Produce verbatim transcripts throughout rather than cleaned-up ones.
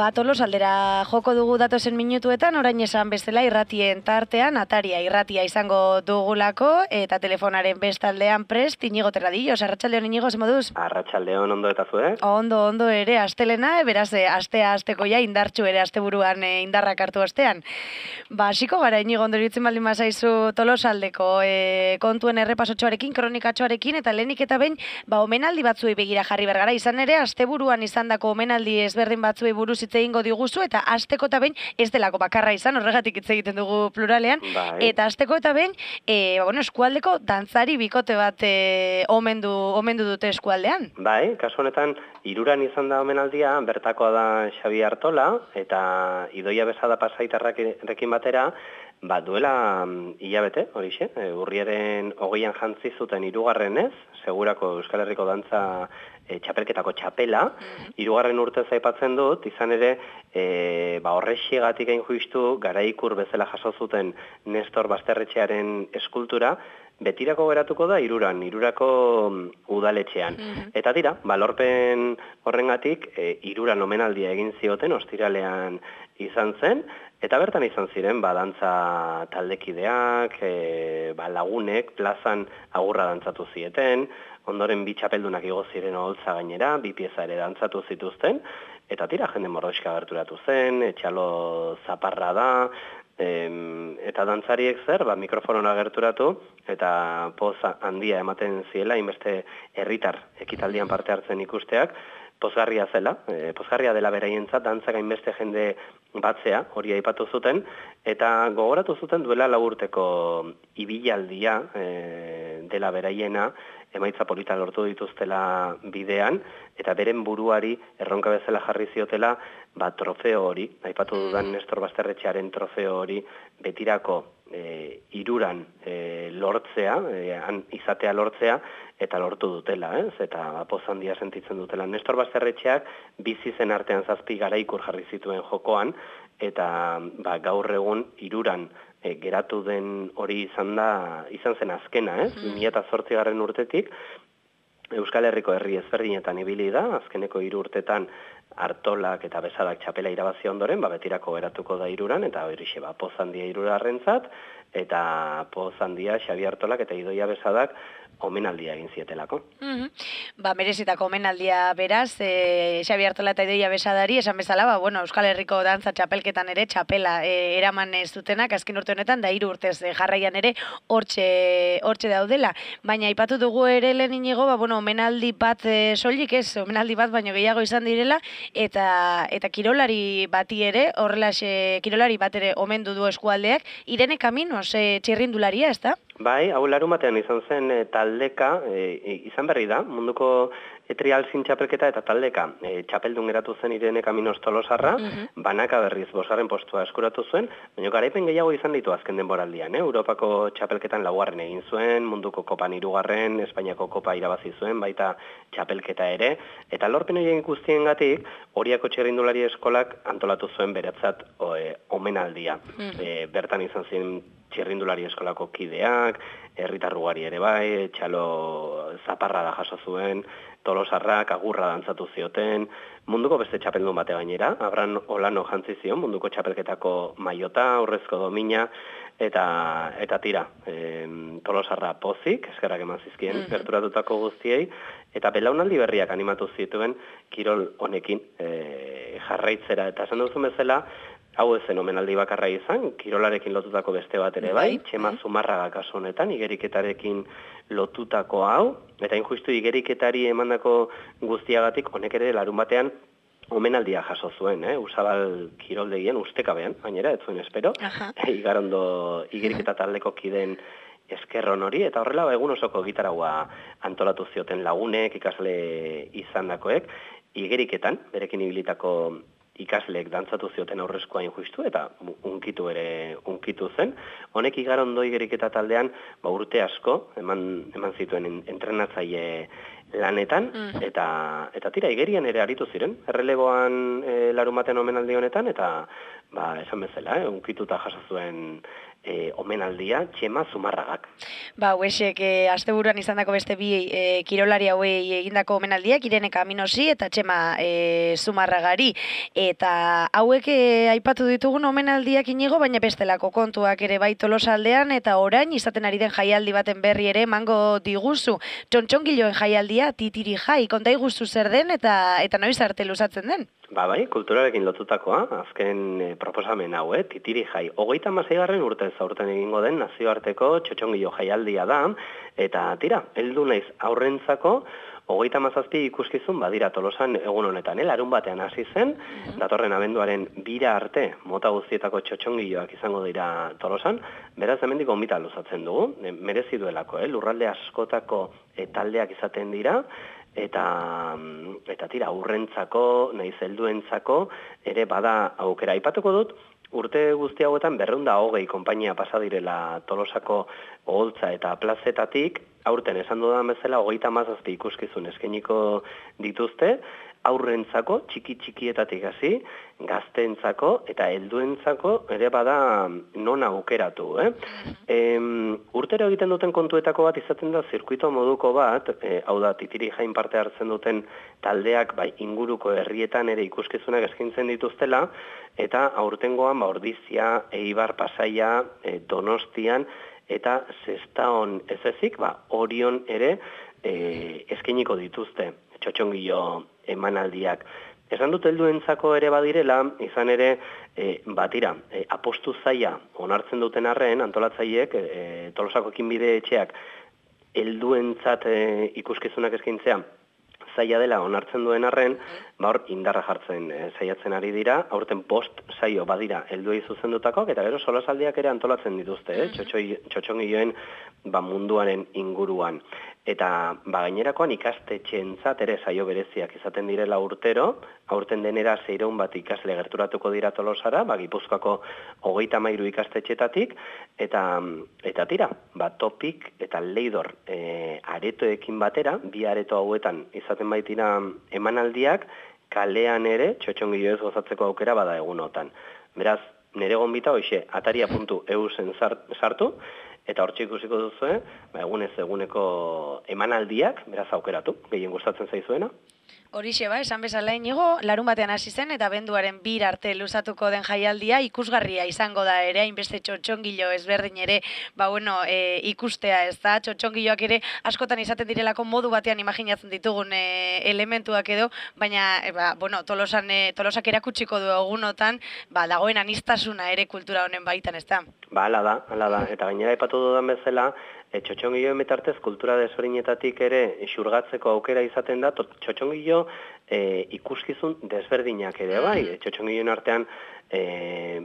Ba, Tolosaldera joko dugu datozen minutuetan, orain esan bezala irratien tartean, ataria irratia izango dugulako, eta telefonaren bestaldean prest, Inigo Terradillos. Arratsaldeon, Inigo, ze moduz? Arratsaldeon, ondo eta zu, eh? Ondo, ondo ere, astelena, beraz, astea asteko ja, indartxu ere, asteburuan e, indarrak hartu astean. Ba, hasiko gara, Inigo, ondoritzen baldin bazaizu Tolosaldeko e, kontuen errepasotxoarekin, kronikatxoarekin, eta lehenik eta behin, ba, omenaldi batzuei begira jarri bergara, izan ere, asteburuan izandako omenaldi ezberdin batzuei buruz hitz egingo diguzu, eta asteko eta behin ez delako bakarra izan, horregatik hitz egiten dugu pluralean, bai. Eta asteko eta behin, e, ba, bueno, eskualdeko dantzari bikote bat e, omendu, omendu dute eskualdean. Bai, kasu honetan, Iruran izan da omenaldia, bertakoa da Xabi Artola, eta Idoia Besada Pasaitarrekin batera, ba, duela hilabete, horixe, e, urriaren hogeian jantzi zuten hirugarrenez, segurako Euskal Herriko dantza e, txapelketako txapela, hirugarren urtez aipatzen dut, izan ere, e, ba, horrexigatik hain justu, garaikur bezala jaso zuten Nestor Basterretxearen eskultura, betirako geratuko da Iruran, Irurako udaletxean. Mm-hmm. Eta dira, balorpen horrengatik, e, Iruran omenaldia egin zioten, ostiralean izan zen, eta bertan izan ziren, ba, dantza taldekideak, e, ba, lagunek, plazan agurra dantzatu zieten, ondoren bi txapeldunak igo ziren oholtza gainera, bi pieza ere dantzatu zituzten, eta tira, jende mordoxka gerturatu zen, etxalo zaparra da, Em, eta dantzariek zer, ba, mikrofonora gerturatu, eta poz handia ematen ziela, inbeste herritar ekitaldian parte hartzen ikusteak, pozgarria zela, e, pozgarria dela beraientzat, dantzak hainbeste jende batzea, hori aipatu zuten, eta gogoratu zuten duela laburteko ibilaldia e, dela beraiena, emaitza polita lortu dituztela bidean, eta beren buruari erronka bezala jarri ziotela, ba, trofeo hori, aipatu dudan Nestor Basterretxearen trofeo hori, betirako e, Iruran e, lortzea, e, an, izatea lortzea, eta lortu dutela, ez? Eta poz handia sentitzen dutela. Nestor Basterretxeak bizi zen artean zazpi garaikur jarri zituen jokoan, eta ba, gaur egun Iruran e, geratu den hori izan da, izan zen azkena, ez? bi mila zortzigarren urtetik, Euskal Herriko herri ezberdinetan ibili da, azkeneko hiru urtetan Artolak eta Besadak txapela irabazi ondoren, ba, betirako geratuko da Iruran, eta horixe, ba, poz handia Irurarrentzat, eta poz handia Xabi Artolak eta Idoia Besadak omenaldia egin zietelako. Mm-hmm. Ba, merezitako omenaldia beraz, e, Xabi Artola eta Idoia Besadari, esan bezala, ba, bueno, Euskal Herriko dantza txapelketan ere, txapela e, eraman ez dutenak, azken urte honetan, da hiru urtez e, jarraian ere, hortxe, hortxe daudela. Baina, aipatu dugu ere lehen inigo, ba, bueno, omenaldi bat e, soilik ez, omenaldi bat, baino gehiago izan direla, eta eta kirolari bati ere, horrelaxe, kirolari bat ere omendu du eskualdeak, Irene Kaminos, e, txirrindularia, ez da? Bai, hau larun batean izan zen e, taldeka, e, izan berri da, munduko e, trial zin txapelketa eta taldeka e, txapeldun geratu zen Irene Kaminos Tolosarra, mm-hmm. banaka berriz bosgarren postua eskuratu zuen, baina garaipen gehiago izan ditu azken denboraldian, eh? Europako txapelketan laugarren egin zuen, munduko kopan hirugarren, Espainiako kopa irabazi zuen, baita txapelketa ere, eta lorpen horien guztiengatik, Oriako txirrindulari eskolak antolatu zuen beretzat o, e, omenaldia. Mm-hmm. E, bertan izan zen txirrindulari eskolako kideak, herritarrugari ere bai, txalo zaparra da jaso zuen, Tolosarrak agurra dantzatu zioten, munduko beste txapeldun bate gainera, Abran Olano jantzi zion, munduko txapelketako maiota, aurrezko domina, eta eta tira, e, Tolosarra pozik, eskerrak eman zizkien, mm-hmm. gerturatutako guztiei, eta belaunaldi berriak animatu zituen kirol honekin e, jarraitzera, eta esan duzun bezala, hau ezen omenaldi bakarra izan, kirolarekin lotutako beste bat ere bai, Txema Zumarraga kasu honetan, igeriketarekin lotutako hau, eta injustu igeriketari emandako guztiagatik, honek ere larun batean omenaldia jaso zuen, eh? Usabal kiroldegien ustekabean, gainera, ez zuen espero, igarondo igeriketa taldeko kiden eskerron hori, eta horrela egun osoko gitaragua antolatu zioten lagunek, ikasle izandakoek, igeriketan, berekin ibilitako ikasleek dantzatu zioten aurrezkoa injustu, eta unkitu ere unkitu zen. Honek igarondo igeriketa taldean, ba, urte asko, eman, eman zituen entrenatzaile lanetan, Mm. eta eta tira, igerian ere aritu ziren, erreleboan e, larumaten omenaldi honetan, eta ba, esan bezala, eh, unkituta jaso zuen e, omenaldia Txema Zumarragak. Ba, hauesek, e, asteburuan izandako beste bi e, kirolari hauei egindako omenaldiak, Irene Kaminosi eta Txema e, Zumarragari. Eta hauek e, aipatu ditugun omenaldiak inigo, baina bestelako kontuak ere bai Tolosaldean, eta orain izaten ari den jaialdi baten berri ere emango diguzu. Txontxongiloen jaialdia, Titiri Jai, konta iguzu zer den eta eta noiz arte luzatzen den? Ba, bai, kulturarekin lotutakoa, azken e, proposamen hau, eh, Titiri Jai. Hogeita hamaseigarren urtez aurten egingo den nazioarteko txotxongilo jaialdia da, eta tira, heldu naiz aurrentzako, hogeita hamazazpi ikuskizun badira Tolosan egun honetan, eh? Larun batean hasi zen, datorren abenduaren bira arte mota guztietako txotxongiloak izango dira Tolosan, beraz hemendik gonbita luzatzen dugu, e, merezi duelako, eh? Lurralde askotako e, taldeak izaten dira, eta eta tira, aurrentzako, nahiz helduentzako ere bada aukera. Aipatuko dut, urte guzti hauetan berrehun eta hogei konpainia pasa direla Tolosako oholtza eta plazetatik, aurten esan dudan bezala hogeita hamazazpi ikuskizun eskainiko dituzte, aurrentzako, txiki-txikietatik hasi, gazteentzako eta helduentzako ere bada non aukeratu. Eh? Em, urtero egiten duten kontuetako bat izaten da zirkuito moduko bat, e, hau da, Titiri Jain parte hartzen duten taldeak bai inguruko herrietan ere ikuskizunak eskaintzen dituztela, eta aurtengoan ba, Ordizia, Eibar, Pasaia, e, Donostian, eta Sestaon ez ezik, ba, Orion ere e, eskainiko dituzte txotxongilo emanaldiak. Esan dut helduentzako ere badirela, izan ere, e, batira, e, apostu zaila onartzen duten arren, antolatzaileek, e, Tolosako ekinbide etxeak helduentzat e, ikuskizunak eskaintzea zaila dela onartzen duen arren, ba hor indarra jartzen e, saiatzen ari dira, aurten bost saio badira helduei zuzendutakoak, eta gero solasaldiak ere antolatzen dituzte, eh? Txotxongiloen ba, munduaren inguruan. Eta ba, gainerakoan ikastetxeentzat ere saio bereziak izaten direla urtero, aurten denera seiehun bat ikasle gerturatuko dira Tolosara, ba, Gipuzkoako hogeita hamairu ikastetxetatik, eta, eta tira, ba, Topik eta Leidor e, aretoekin batera, bi areto hauetan izaten baitira emanaldiak, kalean ere txotxongiloez gozatzeko aukera bada egunotan. Beraz, nire gonbita hoxe, ataria puntu e u zen sartu, eta hortxe ikusiko duzu, ba, egunez eguneko emanaldiak, beraz aukeratu, gehien gustatzen zaizuena. Horixe ba, esan bezala inigo, larun batean hasi zen eta abenduaren bir arte luzatuko den jaialdia ikusgarria izango da ere, hainbeste txotxongilo ezberdin ere, ba bueno, e, ikustea ez da, txotxongiloak ere askotan izaten direlako modu batean imaginatzen ditugun e, elementuak edo, baina, e, ba, bueno, Tolosan, e, Tolosak erakutsiko du egunotan, ba, dagoen anistasuna ere kultura honen baitan, ez da? Ba, ala da, ala da, eta gainera aipatu dudan bezala, e, txotxongiloen bitartez kultura desberdinetatik ere xurgatzeko aukera izaten da, txotxongilo e, ikuskizun desberdinak ere bai, e, txotxongiloen artean e,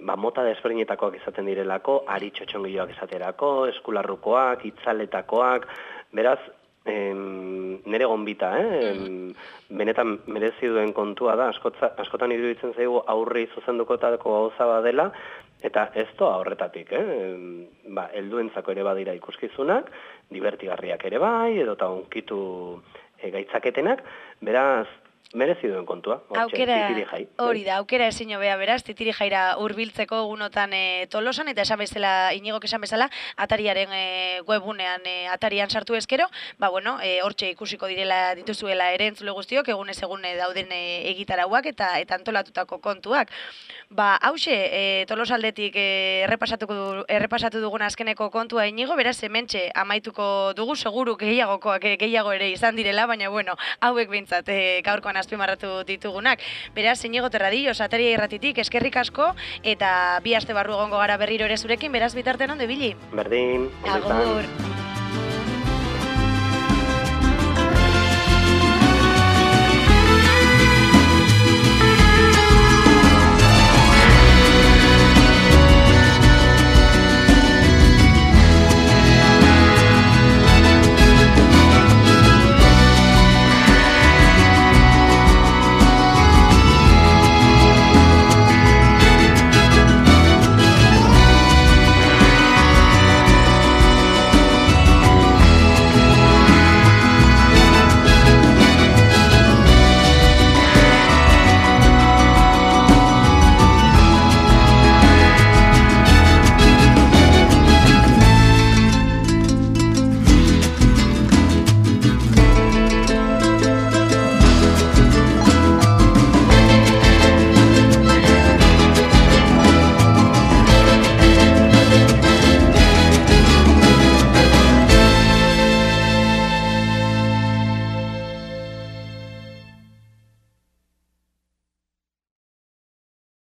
ba, mota desberdinetakoak izaten direlako, ari txotxongiloak izaterako, eskularrukoak, itzaletakoak, beraz, em, nere gonbita, eh? em, benetan merezi duen kontua da, askotza, askotan iruditzen zaigu aurri zuzendukotako gauza badela, eta ez doa horretatik, eh? Em, ba, helduentzako ere badira ikuskizunak, divertigarriak ere bai, edo eta onkitu e, gaitzaketenak, beraz, merezi duen kontua, aukera, Titiri Jai. hori da, aukera ezin hobea beraz, Titiri Jaira hurbiltzeko egunotan e, Tolosan, eta esan bezala, inigok esan bezala, atariaren e, webunean, e, atarian sartu ezkero, ba bueno, e, hortxe ikusiko direla dituzuela ere entzule guztiok, egunez egune dauden e, egitarauak eta eta antolatutako kontuak. Ba, hause, e, Tolosaldetik e, errepasatuko du, errepasatu dugun azkeneko kontua inigo, beraz hementxe amaituko dugu, seguru gehiagokoak e, gehiago ere izan direla, baina bueno, hauek behintzat e, gaurkoan azpimarratu ditugunak. Beraz, Inigo Terradillo, Ataria Irratitik, eskerrik asko, eta bi aste barru egongo gara berriro ere zurekin, beraz bitartean ondo ibili. Berdin, Agur.